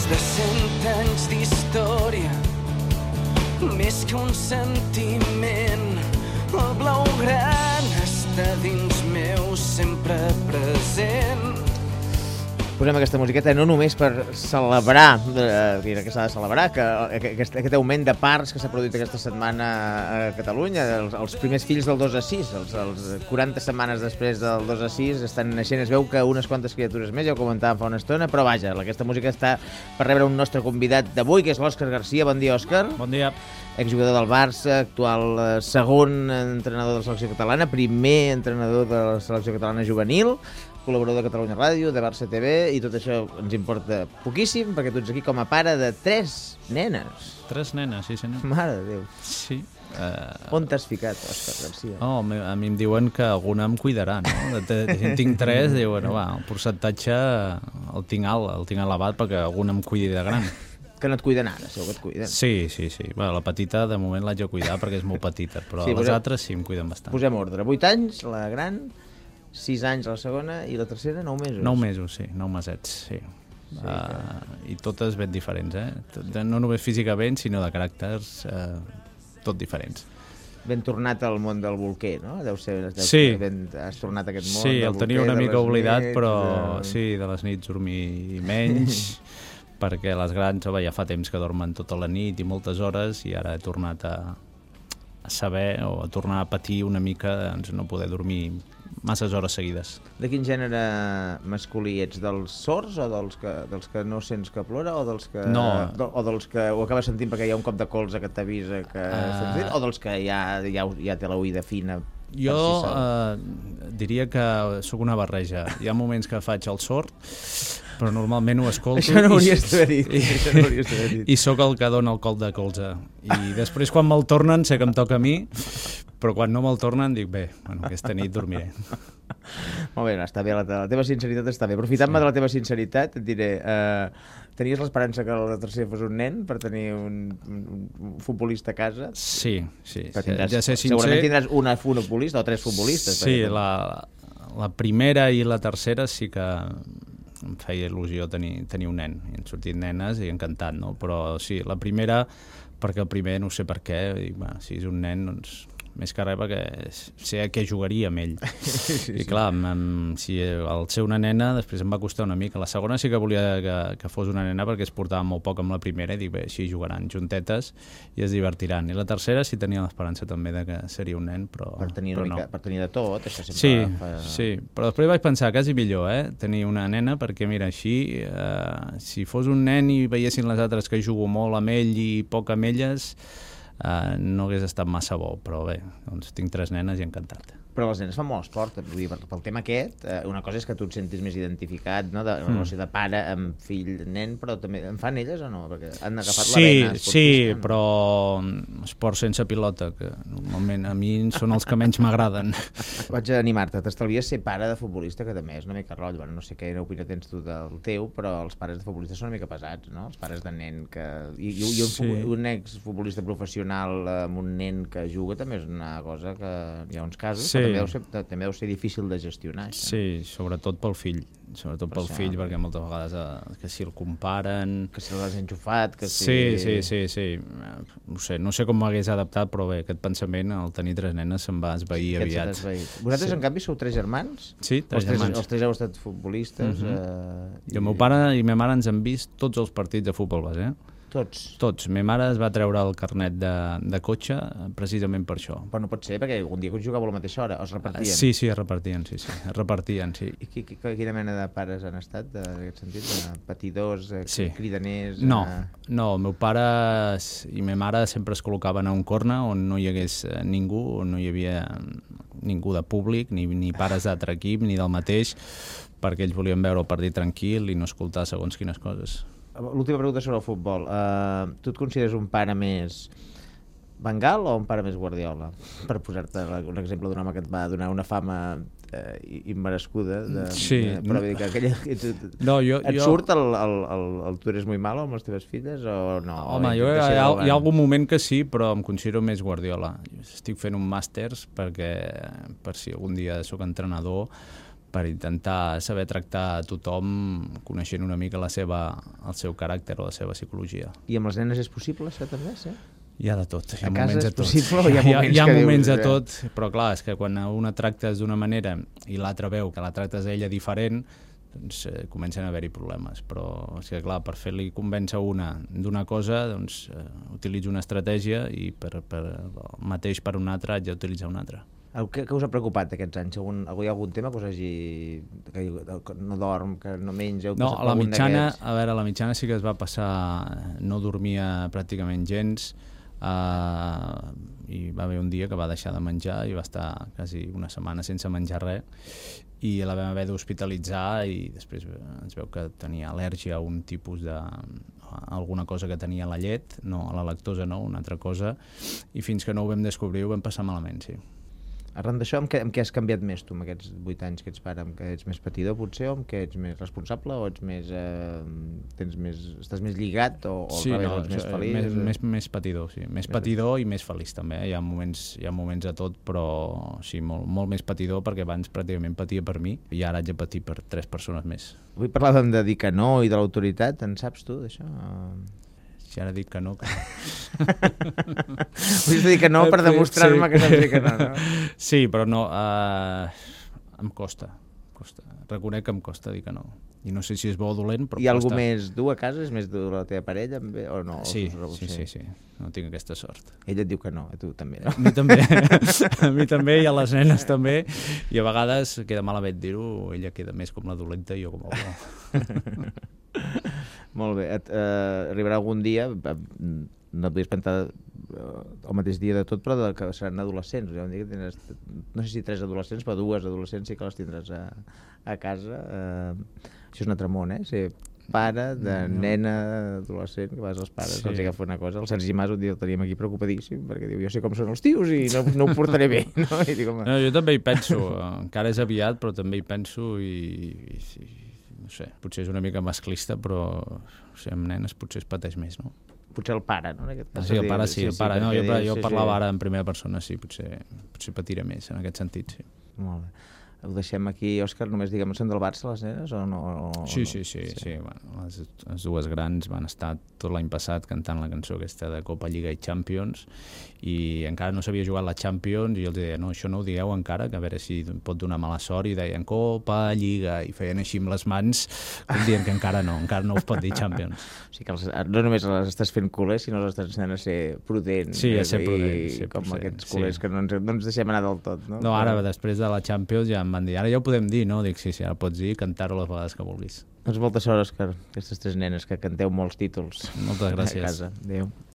de 100 anys d'història, més que un sentiment. El blaugrana està dins meu, sempre present. Posem aquesta musiqueta no només per celebrar, que s'ha de celebrar, que aquest augment de parts que s'ha produït aquesta setmana a Catalunya, els primers fills del 2-6, els 40 setmanes després del 2-6 estan naixent, es veu que unes quantes criatures més, ja ho comentàvem fa una estona, però vaja, aquesta música està per rebre un nostre convidat d'avui, que és l'Òscar Garcia. Bon dia, Òscar. Bon dia. Exjugador del Barça, actual segon entrenador de la selecció catalana, primer entrenador de la selecció catalana juvenil, col·laborador de Catalunya Ràdio, de Barça TV, i tot això ens importa poquíssim, perquè tu ets aquí com a pare de 3 nenes. 3 nenes, sí senyor. Mare de Déu. Sí. On t'has ficat, Òscar Garcia? Oh, a mi em diuen que alguna em cuidarà, no? Tinc 3, diuen, va, el percentatge el tinc alt, el tinc elevat perquè alguna em cuidi de gran. Que no et cuiden ara, segur que et cuiden. Sí. Bueno, la petita, de moment l'haig de cuidar perquè és molt petita, però sí, les altres sí em cuiden bastant. Posem ordre. 8 anys, la gran, 6 anys la segona, i la tercera 9 mesos. 9 mesos, sí, 9 mesets, sí. I totes ben diferents, no només físicament, sinó de caràcters tot diferents. Ben tornat al món del bolquer, no? Sí. Has tornat a aquest món sí, del bolquer. Sí, el tenia una mica oblidat, nits, però sí, de les nits dormir menys, perquè les grans ja fa temps que dormen tota la nit i moltes hores, i ara he tornat a saber o a tornar a patir una mica, doncs no poder dormir masses hores seguides. De quin gènere masculí ets? Dels sords o dels que no sents que plora, o dels que, o dels que ho acabes sentint perquè hi ha un cop de colze que t'avisa que estem fent, o dels que ja té l'oïda fina? Jo diria que sóc una barreja. Hi ha moments que faig el sord, però normalment ho escolto. Això no hauries d'haver dit. I sóc el que dona el cop de colze. I després, quan me'l tornen, sé que em toca a mi, però quan no me'l tornen dic, bé, aquesta nit dormiré. Molt bé, està bé, la teva sinceritat està bé. Aprofitant-me de la teva sinceritat, et diré, tenies l'esperança que la tercera fos un nen per tenir un futbolista a casa? Sí. Ja sé, segurament tindràs una futbolista o 3 futbolistes. Sí, la primera i la tercera sí que em feia il·lusió tenir un nen. I han sortit nenes i encantat, no? Però sí, la primera, perquè el primer no sé per què, i, si és un nen, doncs més que res perquè sé a què jugaria amb ell. I clar, si al ser una nena després em va costar una mica. La segona sí que volia que fos una nena perquè es portava molt poc amb la primera, i dic, bé, així jugaran juntetes i es divertiran. I la tercera sí tenia l'esperança també de que seria un nen, però per tenir de tot, això sempre sí, però després vaig pensar quasi millor, tenir una nena, perquè mira, així si fos un nen i veiessin les altres que jugo molt amb ell i poc amb elles, no hagués estat massa bo, però bé, doncs tinc 3 nenes i encantat. Però les nenes fan molt esport, vull dir, pel tema aquest, una cosa és que tu et sentis més identificat, no?, de relació de pare amb fill, nen, però també en fan elles o no? Perquè han agafat la vena esportista. Sí, però esport sense pilota, que normalment a mi són els que menys m'agraden. Vaig a animar-te, t'estalvies ser pare de futbolista, que també és una mica rotllo. No sé quina opinió tens tu del teu, però els pares de futbolistes són una mica pesats, no? Els pares de nen que... I un exfutbolista professional amb un nen que juga també és una cosa que hi ha uns casos, però també deu ser difícil de gestionar. Sí, sobretot pel fill. Sobretot pel fill, perquè moltes vegades que si el comparen... Que si l'has enxufat, que si... Sí. No sé com m'hagués adaptat, però bé, aquest pensament, al tenir 3 nenes, se'm va esvair aviat. Vosaltres, en canvi, sou 3 germans? Sí, 3 germans. Els 3 heu estat futbolistes. I el meu pare i ma mare ens han vist tots els partits de futbol base, Tots. Ma mare es va treure el carnet de cotxe precisament per això. Però no pot ser, perquè algun dia que jugàveu a la mateixa hora, es repartien? Sí, es repartien, sí. I quina mena de pares han estat, en aquest sentit? Patidors, cridaners? No, el meu pare i ma mare sempre es col·locaven a un corner on no hi hagués ningú, on no hi havia ningú de públic, ni pares d'altre equip, ni del mateix, perquè ells volien veure el partit tranquil i no escoltar segons quines coses. L'última pregunta sobre el futbol. Tu et consideres un pare més Bengal o un pare més Guardiola? Per posar-te un exemple d'un home que et va donar una fama immerescuda. Però vull dir que et surt el tu eres muy malo amb les teves filles o no? Home, hi ha algun moment que sí, però em considero més Guardiola. Estic fent un màsters per si algun dia sóc entrenador, per intentar saber tractar a tothom coneixent una mica el seu caràcter o la seva psicologia. I amb les nenes és possible, això també, sí? Hi ha de tot. A casa és possible o hi ha moments de tot, però clar, és que quan una tractes d'una manera i l'altra veu que la tractes a ella diferent, doncs comencen a haver-hi problemes. Però és que clar, per fer-li convèncer una d'una cosa, doncs utilitzo una estratègia i per mateix per una altra haig d'utilitzar una altra. Què us ha preocupat aquests anys? Hi ha algun tema que us hagi... que no dorm, que no menja... No, a la mitjana sí que es va passar... No dormia pràcticament gens, i va haver un dia que va deixar de menjar i va estar quasi una setmana sense menjar res, i la vam haver d'hospitalitzar i després ens veu que tenia al·lèrgia a un tipus de... alguna cosa que tenia a la llet, no a la lactosa, no, una altra cosa, i fins que no ho vam descobrir ho vam passar malament, sí. Arran d'això, amb què has canviat més tu, amb aquests 8 anys que ets pare? Amb què ets més patidor, potser, o amb què ets més responsable, o ets més... estàs més lligat, o sí, no, ets més feliç? Més patidor, sí. Més patidor i més feliç, també. Hi ha moments de tot, però sí, molt més patidor, perquè abans pràcticament patia per mi, i ara haig de patir per 3 persones més. Avui parlàvem de dir que no i de l'autoritat, en saps tu, d'això? Si ara dic que no... Vull dir que no per demostrar-me que saps dir que no, no? Sí, però no... em costa. Reconec que em costa dir que no. I no sé si és bo o dolent, però costa. Hi ha algú més dur a casa? És més dur la teva parella? O no? Sí. No tinc aquesta sort. Ella et diu que no, a tu també, no? A mi també. A mi també, i a les nenes també. I a vegades queda malament dir-ho, ella queda més com la dolenta i jo com el bo. Molt bé. Arribarà algun dia, no et podies plantar el mateix dia de tot, però que seran adolescents. No sé si 3 adolescents, però 2 adolescents sí que les tindràs a casa. Això és un altre món, ser pare de nena adolescent, que vas als pares, els agafa una cosa. El Sergi Mas un dia el teníem aquí preocupadíssim, perquè diu, jo sé com són els tios i no ho portaré bé. No? I dic, no, jo també hi penso, encara és aviat, però també hi penso i no sé, potser és una mica masclista, però amb nenes potser es pateix més, no? Potser el pare, no? Sí, el pare sí. No, jo parlava ara en primera persona, sí, potser patiré més en aquest sentit, sí. Molt bé. Ho deixem aquí, Òscar, només diguem, són del Barça les nenes o no? Sí. Bueno, les dues grans van estar tot l'any passat cantant la cançó aquesta de Copa, Lliga i Champions, i encara no s'havia jugat la Champions i els deia, no, això no ho digueu encara, que a veure si pot donar mala sort, i deien Copa, Lliga, i feien així amb les mans, com dient que encara no us pot dir Champions. O sigui que no només les estàs fent culers, sinó les estàs ensenyant a ser prudents. Sí, a ser prudents. Com aquests culers que no ens deixem anar del tot, no? No, ara, després de la Champions ja em van dir, ara ja ho podem dir, no? Dic, sí, ara pots dir i cantar-ho les vegades que vulguis. Doncs molta sort, Òscar, aquestes 3 nenes que canteu molts títols. Moltes gràcies. A casa. Adéu.